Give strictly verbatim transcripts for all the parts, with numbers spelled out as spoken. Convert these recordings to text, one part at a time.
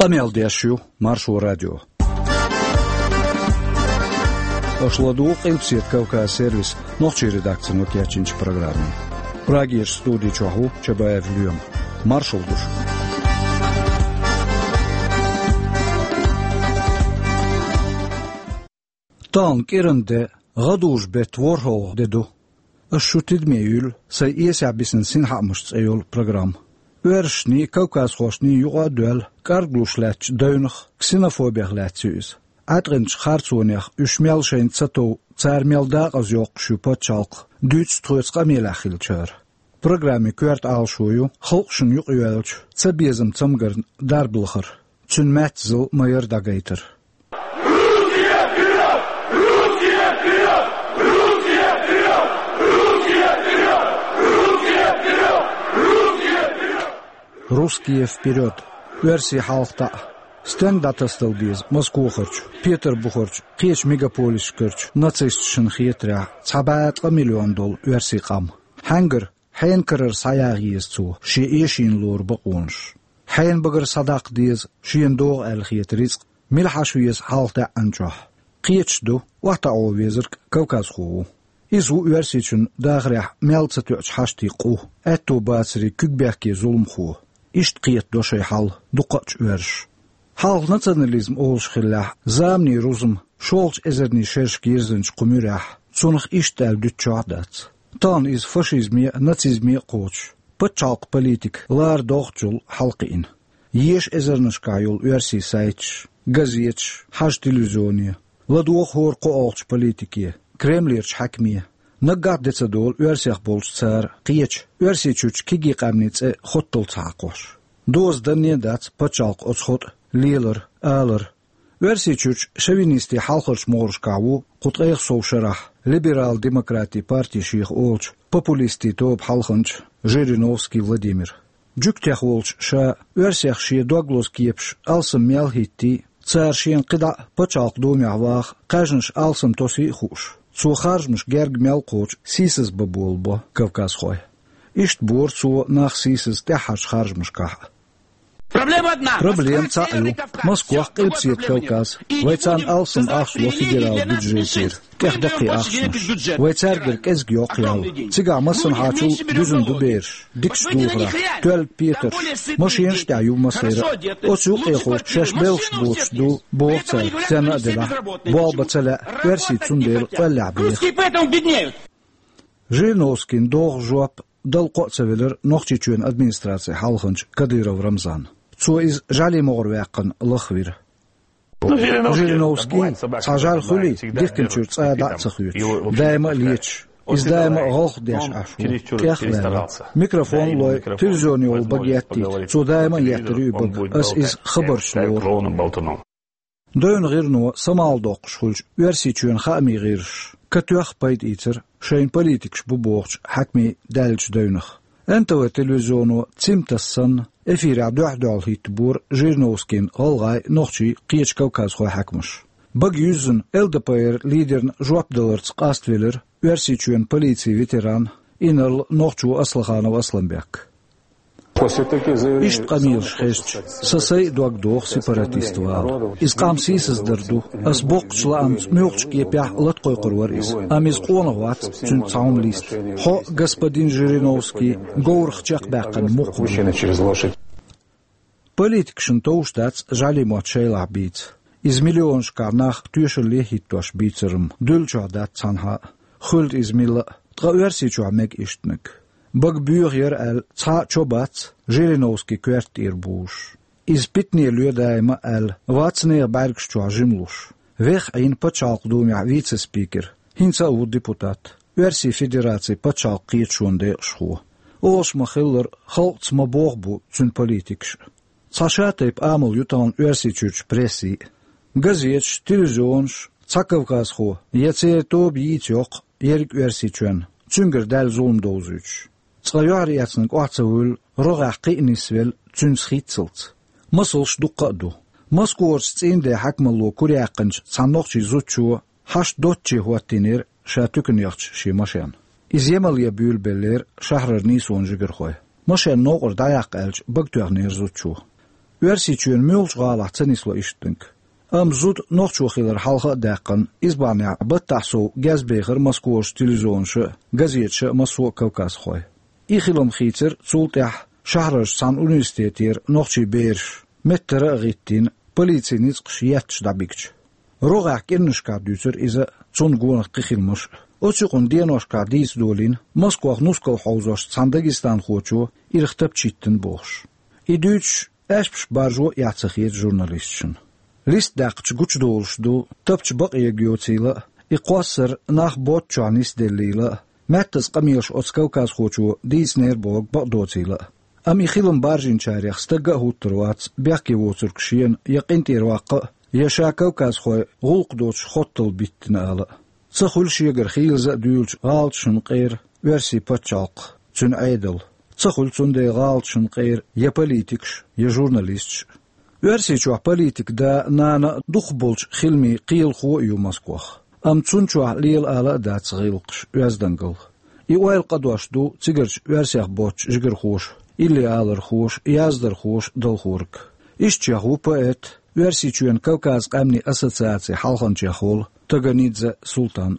Къамел деш ю Маршо радио. Аша ладугӀу Къилбаседа Кавказ сервисан нохчийн редакцино кечйинчу программе. Прагерчу студи чохь ву Чабаев Лоьма. Маршалла ду шуьга. Тахана кӀиран де, гӀадужу-беттан ворхӀалгӀа де ду. Ас шу тидаме юьллу сайн «Эсехь бисина синхаамаш» цӀе йолу программа. Оьрсашний, кавказхошний юкъа а доьлла, кӀарглуш лаьттачу девнах, ксенофобех лаьцна ю иза. Ӏаткъинчу харцонех уьш мел шайна ца тов, цара мел декъаза йоккхуш ю пачхьалкх, дуьйцу тхоьца къамелехь хиллачара. Программин коьрта Ӏалашо ю халкъашна юкъайоьллачу цабезам цамгарна дарба лахар, цуьнан маьццазалла ма-ярра дӀагайтар. «Русские вперёд!» Оьрсий хьалха таӀа. Стенга дӀатасадала деза Москохарчу, Петарбухарчу, кхечу мегаполисашкарчу нацисташна хетарехь, цхьа бӀе ткъа миллион долу оьрсийн къам? Хьаьнгара хьенан карара схьаяха еза цо шен эшийна лору бакъонаш? Хьенан багара схьадаккха деза шена догӀу аьлла хета рицкъ, мила хьаша веза хьалха даьӀна чохь? Кхеташ ду охьатаӀо везарг кавказхо ву. Иза ву Оьрсийчун дахарехь мел ца тоьучу хьаштийн къу, аьтто бацарийн куьг бехке зуламхо. Иштта кхетадо шайн хьал дукхачу оьрсаша. Хьалха национализм олуш хиллехь, заманийн рузма шолгӀачу эзарнийн шерашка йирзинчу кху муьрехь, цунах иштта аьлла дуьтучохь а дац. Тахана иза фашизме а, нацизме а кхочуш, пачхьалкхан политика лара догӀучул хьалакхиъна. Еша эзарнашкахь йолу оьрсийн сайташ, газеташ, хьажа телевизионе, ладогӀа хӀора кхоалгӀачу политике, Кремлерчу хьаькаме. Наггахь а де ца долу оьрсех болчу цара кхечу Оьрсийчуьрчу кегий къаьмнийн цӀе хотталц хьакхош. Доза данне а дац пачхьалкхан оцу хотӀан лелар, алар. Оьрсийчуьрчу шовинистийн хьалхарчу могӀаршкахь ву кху ткъех сов шарахь либерал-демократийн парти шех олучу популистийн тоба хьалханча Жириновский Владимира. Жуьгтех волчу ша оьрсех шен дог лозу кепаш алсам мел хӀиттий, цара шена кхидӀа а пачхьалкхан думехь ваха кхаьжнаш алсам тосий а хууш, цо харжамаш герга мел кхочу сийсаз бан болабо кавказхой. Иштта бора цо нах сийсаз тӀаьххьарчу харжамашкахь а. Проблема одна. Проблема цхьаъ ю. Москох, Къилбаседа Кавказ. Вай царна алсам ахча ло федералан бюджетера. ТӀех даккхий ахчанаш. Вай цаьргара кӀезиг йоккха ял. Цигахь массанхьачул дуьзна ду бераш, дикачу духарехь, тоьлла петарш, машенаш а тӀехь ю массеран а. Оцу юкъехула шаьш белхаш боцуш ду, боху цара, стенна а делахь, болх бан ца лаьа, оьрсий цундела къоьллехь беха. Жириновскийна догӀу жоп дала кхоа ца велира Нохчийчоьнан администрацин хьалханча Кадыров Рамзана. Цо иза жӀаьлин могӀаре ваьккхина лахвира. Ну, Жириновский, Жириновский, цхьа жӀаьла хуьлий, дихкинчуьра цкъа а дӀа а ца хоьцуш, даима а леташ, иза даима а гӀалгӀа деш Ӏаш ву, тӀех а ваьлла. Микрофон а лой, телевизионе йолу бага еттийта, цо даима а еттар ю и бага, ас иза хабарш лору. Девнан гӀирано самаьл доккхуш хуьлучу Оьрсийчоьнан хаамийн гӀирсаша катоьхна пайда ийцира шайна политикаш бу бохучу хьаькамийн даьллачу девнах. Н Т В телевизионо цим тасса санна, эфирехь дуьхь-дуьхьал хӀиттабора Жириновскийна гӀалгӀай, нохчий, кхечу кавказхойн хьаькамаш. Бага юьззина Л Д П Р лидерна жоп даларца къаставелира Оьрсийчоьнан полицин ветеран, инарла нохчо Аслаханов Асламбек. Иштта къамелаш хезча, сан сайн а дог доху сепаратист вала. Иза къам сийсаздар ду. Ас боккхачу лаамца муьлххачу кепехь а латкъойкхур вара иза. Амма иза къонах вац, цуьнца цхьа хӀума листа. Хьо, господин Жириновский, говрах чекхбаьккхина мукх ву. Политикашна товш дац жӀаьлин мотт шайлахь бийца. Иза миллионашкахь нах тоьшалле а хӀиттош бийцар-м дуьллачохь дац цхьанхьа а. Хуьлда иза милла а, ткъа Оьрсийчохь мега иштаниг. Бага боьха яра аьлла, цхьа а чо бац Жириновский коьрта тӀера бузуш. Иза питане ло даима аьлла, вац нехан бӀаьргаш чохь жима луш. Веха Ӏийна Пачхьалкхан Думехь вице-спикер, хӀинца а ву депутат, Оьрсийн Федерацин пачхьалкхан кхеташонан декъашхо. Олуш ма-хиллара, халкъаца ма-бохху бу цуьнан политикаш. Цхьа шатайпа амал ю тахана Оьрсийчуьрчу прессин а. Газеташ, телевизионаш, цхьа кавказхо я церан тоба йийца йоккху ерриг Оьрсийчоьнна, цуьнгара даьлла зулам довзуьйтуш. Цкъа юьхьарэцнарг охьа ца вуьллу, рогӀехь кхин а нисвелла, цуьнца хӀитталц. Масалш дуккха а ду. Москварчу цӀийнан ден хьаькамалло куьре яьккхинчу цхьана нохчийн зудчо хьашт доцчу хӀоттийнера ша туькана яхча шен машен. Иза Ямале буьйлабеллера шахьарара нийсонан жигархой. Машен новкъара дӀаяккха аьлча, бага тоьхнера зудчо. Оьрсийчоьнан муьлххачу гӀалахь ца нисло иштаниг. Амма зуда нохчо хилар хьалха а даьккхина, иза бахьанехь баттахь сов гезбехира Москварчу телевизионаша а, газеташа а массо а кавказхой. И хилам хийцира цул тӀаьхьа шахьарарчу цхьана университетера нохчий бераш, меттара а гӀиттийна, полицин ницкъаша етташ дӀабигча. РогӀехь кӀирнашкахь дуьйцура иза а, цунна гонах кхин хиламаш а. Оцу юкъанна деношкахь дийца долийна, Москвах нускал хьовзош цхьана дагестанхочо ирх тапча йиттина бохуш. И дуьйцуш, аьшпаш баржо а эхь ца хета журналисташна. Листа даьккхича гучудолуш ду, тапча бакъ ерг йоцийла а, и кхоссар нах боцчохь нисделлийла а, маьттаза къамелаш оцу кавказхочо дийцинера бохург бакъ доцийла а. Амма и хилам баржийначарех стагга а хӀуттур вац бехке воцург шена я къинтӀера ваккха а, я ша кавказхойн гӀуллакх доцуш хоттал биттина ала а. Ца хуьлу шегара хийлаза а дуьйлучу гӀалаташна къера оьрсийн пачхьалкх, цуьнан Ӏедал. Ца хуьлу цундела гӀалаташна къера я политикаш, я журналисташ. Оьрсийчохь политикан да, нана а дукхахболчу хиламийн кхелахо а ю Москвах. Амма цунна чохь лела ала а дац гӀиллакхаш, оьздангалла. И ойла къадош ду цигарчу оьрсех боцчу жигархоша, иллиалархоша, яздархоша далхориг. Ишттачех ву поэт, Оьрсийчоьнан Кавказ къаьмнийн ассоциацин хьалханчех волу Таганидзе Султан.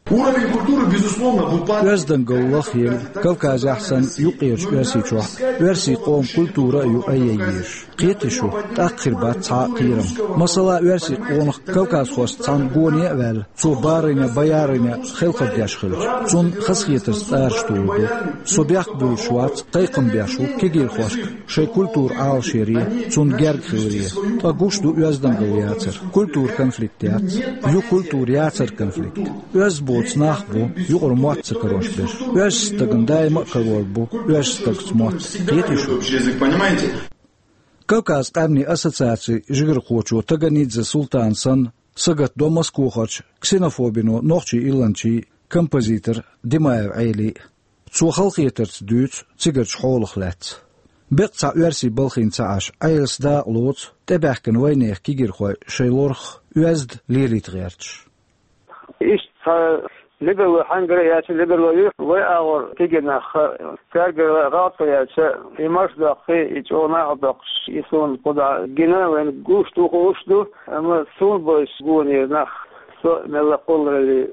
Уровень культуры, безусловно, в упадке. Оьздангалла лахъелла, Кавказехь санна, юккъерчу Оьрсийчохь а оьрсийн къоман культура а ю айъян езаш. Кхетий шу, тӀаккха хир бац цхьа а кхерам. Масала, оьрсийн къонах кавказхошца цхьаьна гоне а ваьлла, цо барина, баярина хелхар деш хилча, цунна хазахетарца тӀараш тухур ду. Со бехк буьйлуш вац, кхайкхам беш ву кегийрхошка шайн культура Ӏалашъяре, цунна герга хиларе. Ткъа гуш ду оьздангалла яцар. Культуран конфликт яц. Ю культуран яцаран конфликт. Оьзда боцу нах бу юкъара мотт ца карош берш. Оьрсийн стагана даима а карор бу оьрсийн стагца мотт. Кхетий шу? Кавказ къаьмнийн ассоциацин жигархочо Таганидзе Султана санна, сагатдо Москвахарчу ксенофобино нохчийн илланчийн, композитор Димаев Ӏелин а. Цо халахетарца дуьйцу цигарчу хьолах лаьцна. Беккъа цхьа оьрсий балхийна ца Ӏаш, Ӏелас дакъа лоцу тӀебаьхкина вайнехан кегийрхой шайн лорах оьзда лелийта гӀерташ. Иштта цхьа либералой хьаьнгара а яьлча, либералой ю вай агӀор кегий нах, цаьргара гӀалат а яьлча, и марша доккхий, и чӀогӀа накъадоккхуш, и суна кху дӀа гина, вайна гуш ду, хууш ду, амма суна бовзуш гонера нах, со мелла а кхоллараллин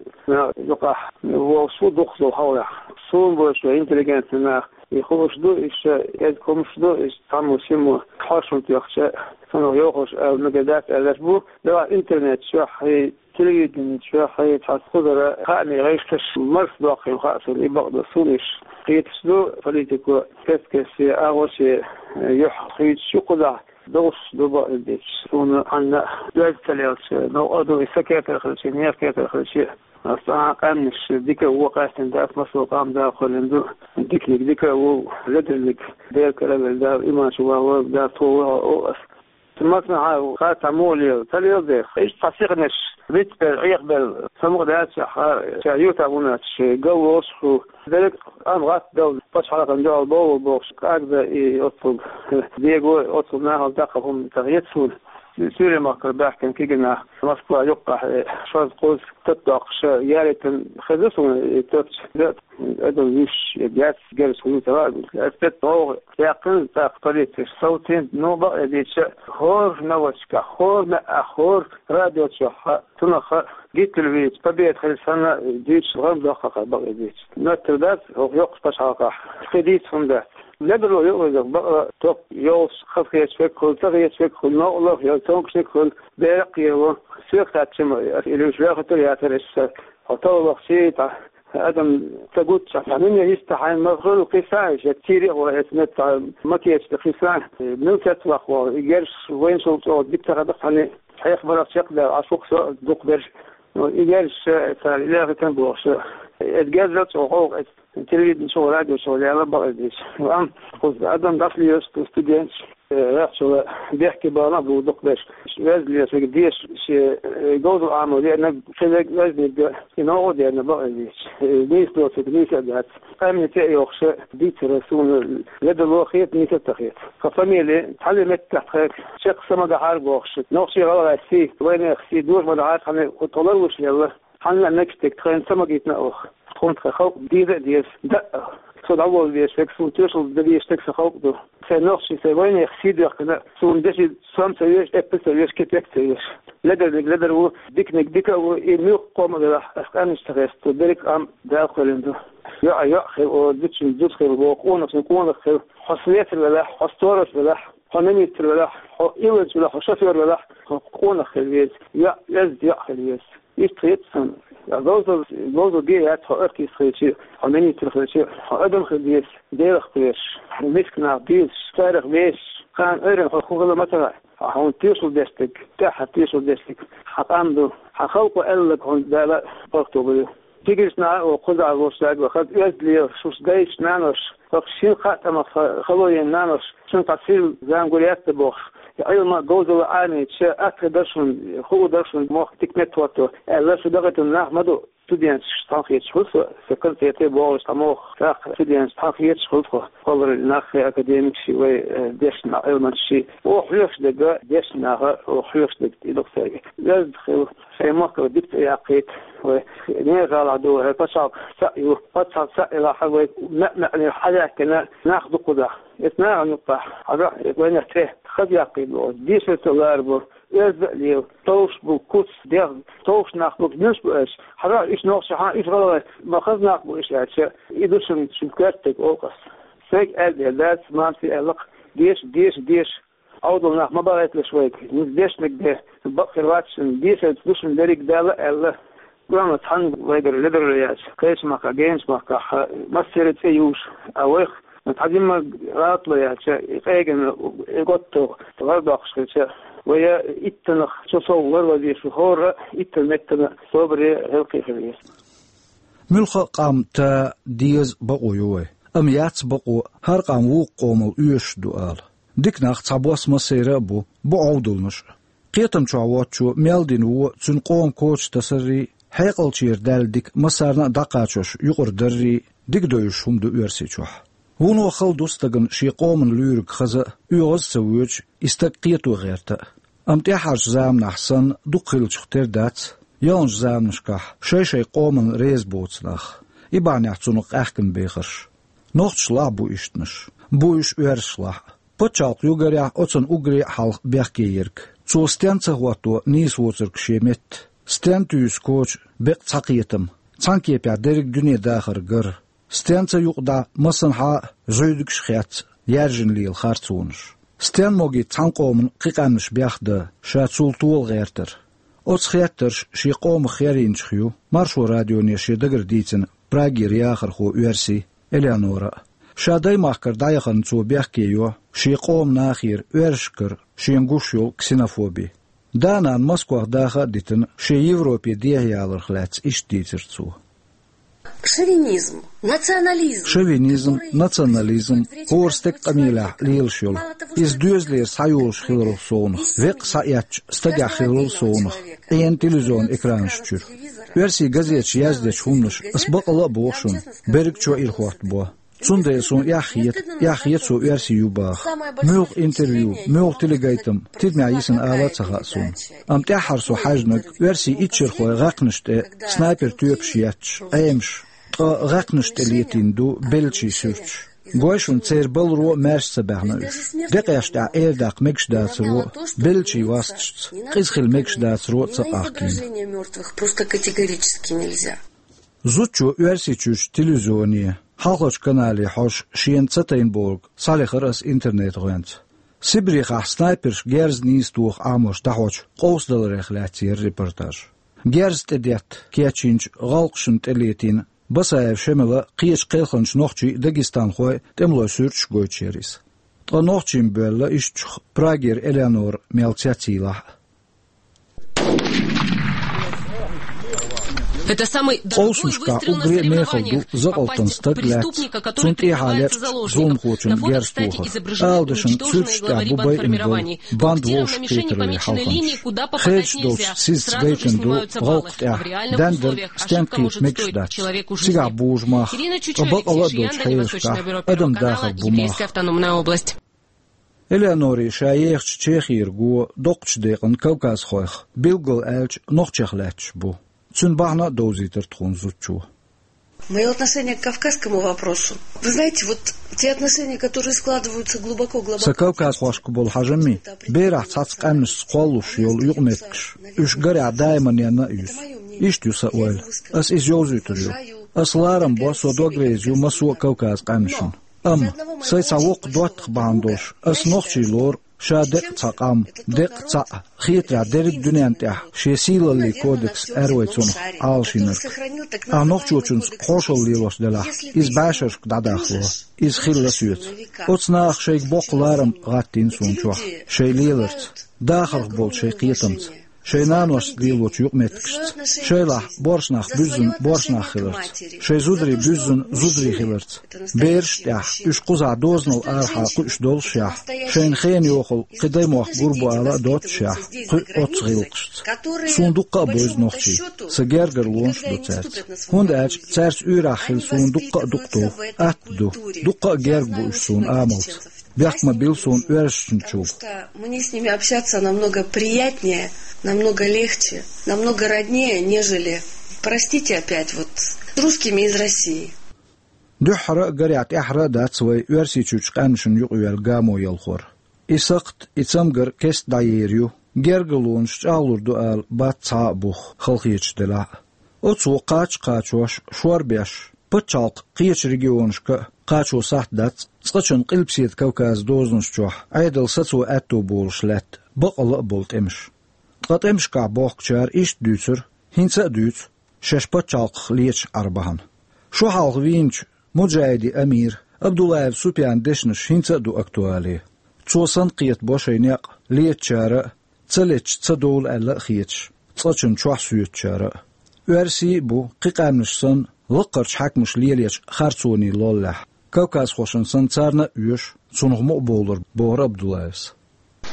юкъахь волуш ву дукхах долу хьолехь. Суна бовзуш вай интеллигентный нах, и хууш ду, и ша эзга хӀумаш ду, и цхьаммо-шиммо хьошалгӀа тоьхча, цунах йохуш ала мегар дац аьлларш бу, делахь интернет чохь, и телевидени чохь, и цхьацца кхузара хаамийн гӀишлош марша доккхийла хаьа суна, и бакъ ду, суна иштта кхеташ ду, политико кест-кеста агӀо шен юьхь хуьйцуш ю кхузахь, долуш ду бакъ дийцича. Суна хьанна а оьзда ца лелча, новкъа ду, и сан кетар хилча, нехан кетар хилча, аса а къаьмнаш дика а вон къаьстина дац, массо а къам Дала кхоьллина ду, диканиг дика а ву, леданиг Дела кара а велла, Дала иман чу вахавойла, Дала тхо вахавойла ас. Масанхьа хаттам муха лела, ца леладе, иштта цхьа сихнаш вицбелла, Ӏехабелла, самукъа даьлча, ша ютахь вунаьлча, галволуш а ву. Дерриг а къам гӀаттадала, пачхьалкхан дуьхьал бовла бохуш, кӀагда и оццул, дего а оццул нахала даккха хӀума ца хета суна. Суьйре-махкара баьхкина кегий нах Москва юккъехь, шозза-кхузза тата доккхуш, ялийтина хезна суна и тапча. Адам вуьш, я герз, герз хӀума ца ваьа. Ас тӀе тӀогӀа яьккхина, тӀаккха полицеш совцийна, ну, бакъ а дийцича, хӀора новосташкахь, хӀора маьӀӀехь, хӀора радио чохь, цунах Гитлер вийца победа хилла санна дуьйцуш гӀан доккху-кх, бакъ а дийцича. Моттиг дац, хӀокху йоккхачу пачхьалкхехь кхин дийца хӀума дац. Лебарло юкъавезарг бакъ а топ йолуш хазахеташ верг хуьлу, ца хеташ верг хуьлу, новкъарло а хуьлу, тонкашниг а хуьлу, бер а кхело. Соьга хаьттича ма, аса и луьйш вехийтар яцара аса, хьо талламах сий тӀе, адам ца гуччахь, цхьа нуьне йиста хьайна ма хуьлу кхийсса, я тӀера а гӀо эца метта ма кечда кхийсса, мила цецваккха вахана, и герзаш вайначул чӀогӀа дика ца хадакх цхьаьна, хьех барах чекхдаьлла, Ӏаш ву-кх со дукхахберш. Ну, и герзаш цара лехийтина бохуш, эца герзал чӀогӀа гӀовгӀа эца телевидени чухула, радио чухула лела бакъ а дийцича. Амма кхуза адам дӀасалелаш ду, студенташ, вехчула бехке бахана а бу дукхахберш. Веза лелаш верг деша шен, э, говзал Ӏамо деана, кхин верг везниг а, и новкъа а деана, бакъ а дийцича. Э, нийса доцург нийса а дац. Къаьмнийн цӀе а йохуш дийцар суна ледарло а хета, нийса а ца хета. Тхан фамили цхьана меттехь тхайга чекх са ма дахьара бохуш, нохчий-гӀалгӀай сий, вайнехан сий доьша ма дахьара, цхьана тхо ларлуш лелла. Хьанна а мегаш дерг тхайна ца магийтина оха. Тхуна тхан халкъ дийр а деза, даа. Со дӀаволла везаш верг, суна тоьшалла дан везаш дерг сан халкъ ду. Сайн нохчий, сайн вайнех сий доьхкина, суна деши сом ца веш, эппа ца веш, кепек ца веш. Ледарниг ледар ву, диканиг дика ву, и муьлха къома велахь, ас къаьмнаш ца хеста, берриг къам Дала кхоьллина ду. ЙоӀ, йоӀ хила, о, зудчун зуда хила, о, къонахчун къонах хила, хьо слесарь велахь, хьо сторож велахь, хьо министр велахь, хьо илланча велахь, хьо шофёр велахь, хьо къонах хила веза, йоӀ, оьзда йоӀ хила веза. Иштта хета сан. Говзал, говзал бе яц хьо артист хилча, хьо министр хилча, хьо адам хила деза, Делах кхоьруш, миска нах безаш, царах вешаш, кхана Ӏуьйранна хьо хӀун хила ма ца хаьа. Хьо хьуна тешал деш дерг, тӀаьххьара тешал деш дерг, хьан къам ду, хьан халкъо аьлларг хьуна Дала паргӀато бу. Тиграш наха а кхузахь лош даьгга, хаза оьзда лела, шуьш дайша, нанош, хӀокху шина-кхаа тӀамах хало йина нанош, шуна цхьа сирла зама гур яц ца бохуш, Ӏилма, говзалла Ӏамийча, атта хир дара шуна, хуур дара шуна, мохк дика меттахӀотто, аьлла, шу дакъийтина нах ма ду. Студенташ цхьаьна хеташ хуьлу со, сан концерте богӀуш цхьа мохк, тӀаккха студенташ цхьаьна хеташ хуьлу тхо. Кхоллар нах, академикаш, вай, э, дешна Ӏилманчаш. Оха хьоьхуш дерг дешна наха, оха хьоьхуш дерг и ду-кх цаьрга. Оьзда хила, шайн махкара дика цӀе яккхийта, вай нехан гӀалахь ду, хӀара пачхьалкх цхьаъ ю, пачхьалкх цхьаъ елахь, вай маьӀ-маьӀӀера хьаваьккхина нах ду кхузахь. Эцу нахана юккъехь, хьажахь, вайнах тӀе хаза яккхий боху, дешар ца ларбо, оьзда а лела, товш бу, куц, дегӀ, товш нах бу, муьлш бу аьлча, хьажахь, уьш нохчий хьан, уьш гӀалгӀай, ма хаза нах бу уьш аьлча, и ду шуна, шуна коьртаниг олу ас. Сайга аьлла дела дац, мамасе аьлла-кх, деша, деша, деша. Ӏовдал нах ма бахийталаш вайга, хӀинца дешнарг де, бакъ хир вац шуна, дешарца ду шуна дерриг, Дала аьлла. Гуамаца цхьаьна вайгара ледарло яьлча, кхечу махкахь, генчу махкахь массеран цӀе юуш, а вайх цхьа димма гӀалатло яьлча, и къегина, и готто гӀар доккхуш хилча, вай иттанах чу сов лар вазийша, хӀора иттан меттана собаре, гӀиллакхе хила веза. Муьлхха а къам та, деза бакъо ю вай, амма яц бакъо хӀара къам вукху къомал оьшуш ду ала. Дика нах цхьабосса массеран а бу, бу Ӏовдалнаш а. Кхетам чохь воцчо мел дина вон цуьнан къоман коча тасаррий, хьекъалчера даьлла дика массарна а дӀакхачош юкъара даррий, дика девзаш хӀума ду Оьрсийчохь. Вуно хала ду стагана шен къоман луьйриг хаза а, оьгӀаз а ца воьдуш, и стаг кхето гӀерта а. Амма тӀаьххьарчу заманахь санна дукха хиллачух тера дац, яханчу заманашкахь шай-шайн къоманна реза боцу нах, и бахьанехь цунах къаьхкина бехарш. Нохчашлахь а бу ишттанаш, бу уьш оьрсашлахь а. Пачхьалкх югарехь оцунна уггаре а хьалха бехке ерг. Цо стенна ца хӀотто нийса воцург шен метта, стенна туьйсу коча беккъа цхьа кхетам, цхьана кепехь дерриг дуьне дахар гар. Стенна ца юкъадан массанхьа а зуьйдигаш а хецна, яьржина лела харцонаш. Стенна могий цхьана къоман кхин къаьмнаш бехдан, ша цул тола гӀертар. Оцу хеттарша шен къомах херийначух ю Маршо радионе шен дагара дийцина Прагера яхархо оьрси Элеонора а. Ша даймахкара дӀаяханна цо бехке йо шен къоман нахера оьрсашкара шена гуш йолу ксенофоби. Да-нана Москвахь даха а дитина, шен Европе дехьаяларх лаьцна иштта дийцира цо. Шовинизм, национализм, хӀора стеган къамелехь лелаш йолу, иза доьзалера схьайолуш хиларал совнах, веккъа схьаэцча стагехь хиларал совнах, Ӏена телевизионан экранаш чуьра. Оьрсийн газеташа яздечу хӀуманаша ас бакъала а боху шуна, берригчо ирахӀоттабо. Цундела суна эхь хета, эхь хета со оьрси ю баха. Муьлха интервью, муьлха телегайтам тидамехь йисина ала а ца хаьа суна. Амма тӀаьххьара со хьаьжнарг оьрсийн иччархойн гӀаькхнаш тӀе снайпер тоьпаш етташ, Ӏемаш, ткъа гӀаькхнаш тӀе летийна ду беллачийн суьрташ. Гой шуна, церан баларо а маьрша ца баьхна уьш. Декъеш тӀехь эр даккха мегаш дацаро а, беллачийн васташца, къиза хила мегаш дацаро а ца къахкийна. Зудчо Оьрсийчуьрчу телевизионе, хьалхарчу канале хьожуш шена ца тайна бохург схьалехара ас интернет-гӀоьнца. Сибрехахь снайперша герз нийса тоха Ӏамош дӀахьочу къовсадаларех лаьцна яра репортаж. Герз тӀедетта кечйинчу гӀалкхашна тӀе летийна Басаев Шемала, кхечу кхелхинчу нохчийн а, дагестанхойн а тӀемалойн суьрташ гойтуш яра иза. Ткъа нохчийн боьлла ишттачух Прагера Элеонора мел цецйийлахь а. Къовсамашкахь уггаре а мехала ду закъалтан стаг лаьцна, цунна тӀехьа лечкъачу зуламхочунна герз тохар. Ала дашна, суьрташ тӀехь бу байина болу банда вовшахкхетараллин хьалханчаш. Хедаш долчу сизца гайтина ду гӀалкх тӀехь, дендарг стенна кхета мегаш дац. Цигахь бужу мах, ткъа бакъала а долчу хьелашкахь адам дахар бу мах. Элеонори ша ехачу Чехера го доккхачу декъана кавказхойх билггал аьлча нохчех лаьтташ бу. Цуьнан бахьана а довзийтира тхуна зудчо. Мое отношение к кавказскому вопросу. Вы знаете, вот те отношения, которые складываются глубоко-глубоко... Са кавказхошка болу хьажамми, берахь цхьацца къаьмнашца кхоллалуш йолу юкъаметтигаш, уьш гарехь даиманна а юьсу. Иштта ю сан ойла. Ас иза йовзуьйтур ю. Ас ларам бо, со дог реза ю массо а Кавказан къаьмнашна. Амма сайн цхьа воккха доттагӀа бахьана долуш, ас нохчий лору, ша декъа цхьа къам, декъа цхьаъ, хетарехь дерриг а дуьненна тӀехь шен сийлаллин кодекс аьлла вай цунах Ӏалашйинарг. Ахь нохчочуьнца хьошалла лелош делахь, иза бӀешерашка дӀадахало, иза хилла соьца. Оцу наха шайга боккха ларам гӀаттийна суна чохь, шайн леларца, дахарх болчу шайн кхетамца, шайн наношца лелочу юкъаметтигашца, шайлахь боршнах буьззина боршнах хиларца, шайн зударий буьззина зударий хиларца, бераш а тӀехь, уьш кхузахь дозанал арахьа кхуьуш доллушехь, шайна хенан йохалла кхин даймохк гур бу ала а доццушехь, кхуьу оццу гӀиллакхашца. Суна дуккха а бевза нохчий, сан гергарчу лонаша ду цаьрца. ХӀунда аьлча цаьрца уьйрахь хила суна дуккха а дукха ду, атта ду, дуккха а герга бу уьш суна амалца. Бехк ма билла суна оьрсашначул. Потому что мне с ними общаться намного приятнее, намного легче, намного роднее, нежели, простите опять, вот с русскими из России. Дуьххьара а гарехь тӀаьхьара а дац вай Оьрсийчуьрчу къаьмнашна юкъаваьлла гамо ялхор. И сакхт, и цамгар кеста дӀаер ю, гергарчу лонаша чӀагӀлур ду ала бац цхьа а бух, халахеташ делахь а. Оцо кхача а кхачош, шорбеш, пачхьалкхан кхечу регионашка а кхачо сахьт дац цкъачунна Къилбаседа Кавказан дозанаш чохь Ӏедалан сацо аьтто болуш лаьтта бакъалла а болу тӀемаш. Ткъа тӀемашкахь бохкучара иштта дуьйцура, хӀинца а дуьйцу, шаьш пачхьалкхах леташ Ӏар бахьана. Шо хьалха вийначу муджахӀидийн амира Абдуллаев Супьяна дешнаш хӀинца а ду актуале. Цо санна кхетабо шайн некъ летачара а, ца леташ ца довла аьлла а хеташ, цкъачунна чохь соьцучара а. Оьрсий а бу, кхин къаьмнаш санна, лаккхарчу хьаькамаша лелочу харцонийн лоллехь, кавказхошна санна царна а оьшу, цунах мукъабовлар, бохура Абдуллаевс.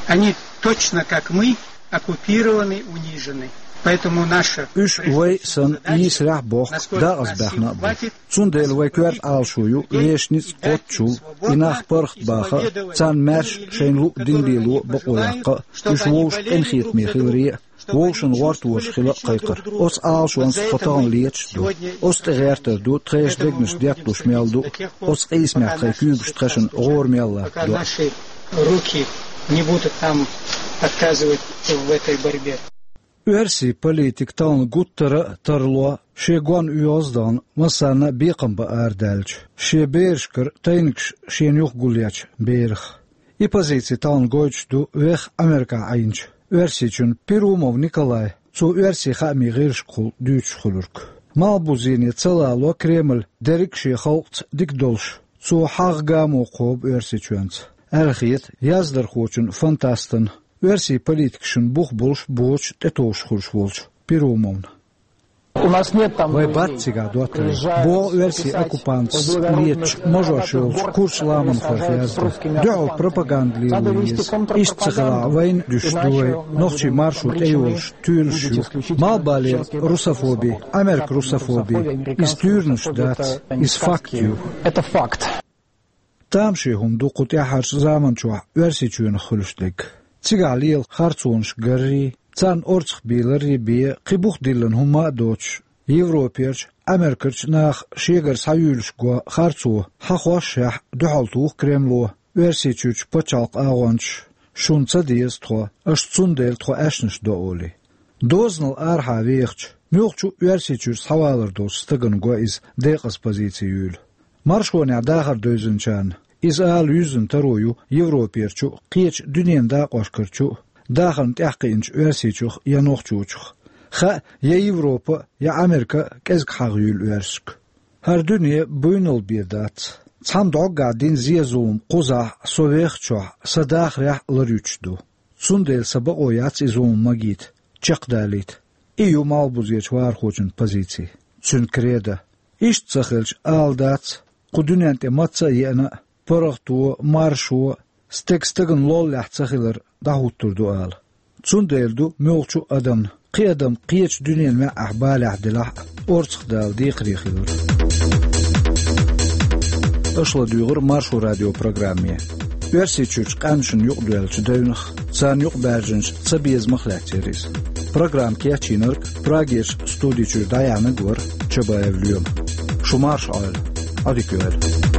Они точно как мы оккупированы, унижены. Поэтому наша... Уьш вай санна йийсарехь а бохку, декъаза баьхна а бу. Цундела вай коьрта Ӏалашо ю вешан ницкъ кхоччушчул и нах паргӀат баха а, царна маьрша шайна луъу дин лело а бакъо яккха а, уьш вовшийн къинхетаме хиларе а, вовшашна гӀортор хила а кхайкхар. Оцу Ӏалашонца тхо тахана леташ а ду. Оцу тӀе гӀертар ду, тхешан дегнаш детталуш мел ду, оцу къийсамехь тхайн куьйгаш тхешна гӀора мел латтадо. Пока наши руки не будут нам отказывать в этой борьбе. Оьрсийн политик тахана гуттара а тарло шен гонна оьгӀаз а дахана, массарна а бекхам бан арадаьлча, шен берашкара тайнигаш шена юха гулъечу берах. И позици тахана гойтуш ду веха Америкахь Ӏийначу Оьрсийчоьнан Перумов Николай, цо оьрсийн хаамийн гӀирсашкахула дуьйцуш хуьлург. Малхбузене ца лало Кремль дерриг а шен халкъаца дика долуш, цо хьагӀ гамо кхобу Оьрсийчоьнца, аьлла хета яздархочун, фантастан, оьрсийн политикашна бух болуш а боцуш а тӀетовжуш хуьлуш волчу Перумовна. У нас нет там... Вайн бац цигахь доттагӀий. БогӀу оьрсийн оккупанташа леташ мажош йолчу курчу ламанхойх яздан. Дуьхьал пропаганда лело еза. Иштта ца хилахь, вайна дуьсуш ду вай, нохчийн маршо тӀейолуш туьйранаш ю. Малхбалера русофоби, Америкин русофоби, иза туьйранаш дац, иза факт ю. Это факт. Тамашийна хӀума ду кху тӀаьххьарчу заманчохь Оьрсийчоьнах хуьлуш дерг. Цигахь лела харцонаш гаррий, царна орцах бийларрий бен, кхин бух диллина хӀумма а доцуш, Европерчу, Америкерчу наха шегара схьаюьйлуш го харцо хьахошшехь, дуьхьал туху Кремло, Оьрсийчуьрчу пачхьалкхан агӀончаш: «Шуна ца деза тхо, аша цундела тхо аьшнаш до», — олий. Дозанал арахьа вехачу, муьлххачу а Оьрсийчуьра схьавалар долчу стагана го иза декъаза позици юйла. Маршонехь дахар девзинчарна иза ала юьззина таро ю Европерчу а, кхечу дуьненан дакъошкарчу а, дахарна тӀаьхьакхиъначу Оьрсийчух я нохчочух. Хаьа, я Европа, я Америка кӀезиг хьагӀ юьйлу оьрсашка. ХӀара дуьне буйнал бен дац. Цхьамма дӀоггахь дина зе-зулам кхузахь со вехачохь, сан дахарехь а ларйуьтуш ду. Цундела сан бакъо яц и зулам магийта, чекхдалийта. И ю малхбузерчу вахархочун позици, цуьнан кредо. Иштта ца хилча, ала дац, кху дуьнен тӀе мацца а еана а, паргӀато, маршо, стеган стагана лоллехь ца хилар дӀахӀуттур ду ала. Цундела ду муьлххачу а адамна, кхин адам кхечу дуьненан маьӀӀехь балехь делахь а, орцах дала декхаре хилар. Аша ладуьйгӀира Маршо радион программе. Оьрсийчуьрчу къаьмнашна юкъадоьллачу девнах, царна юкъабаьржинчу цабезамах лаьцна яра иза. Программа кечйинарг, Прагерчу студи чуьра дӀаяьхьнарг вара Чабаев Лоьма. Marsch all. Adiküel.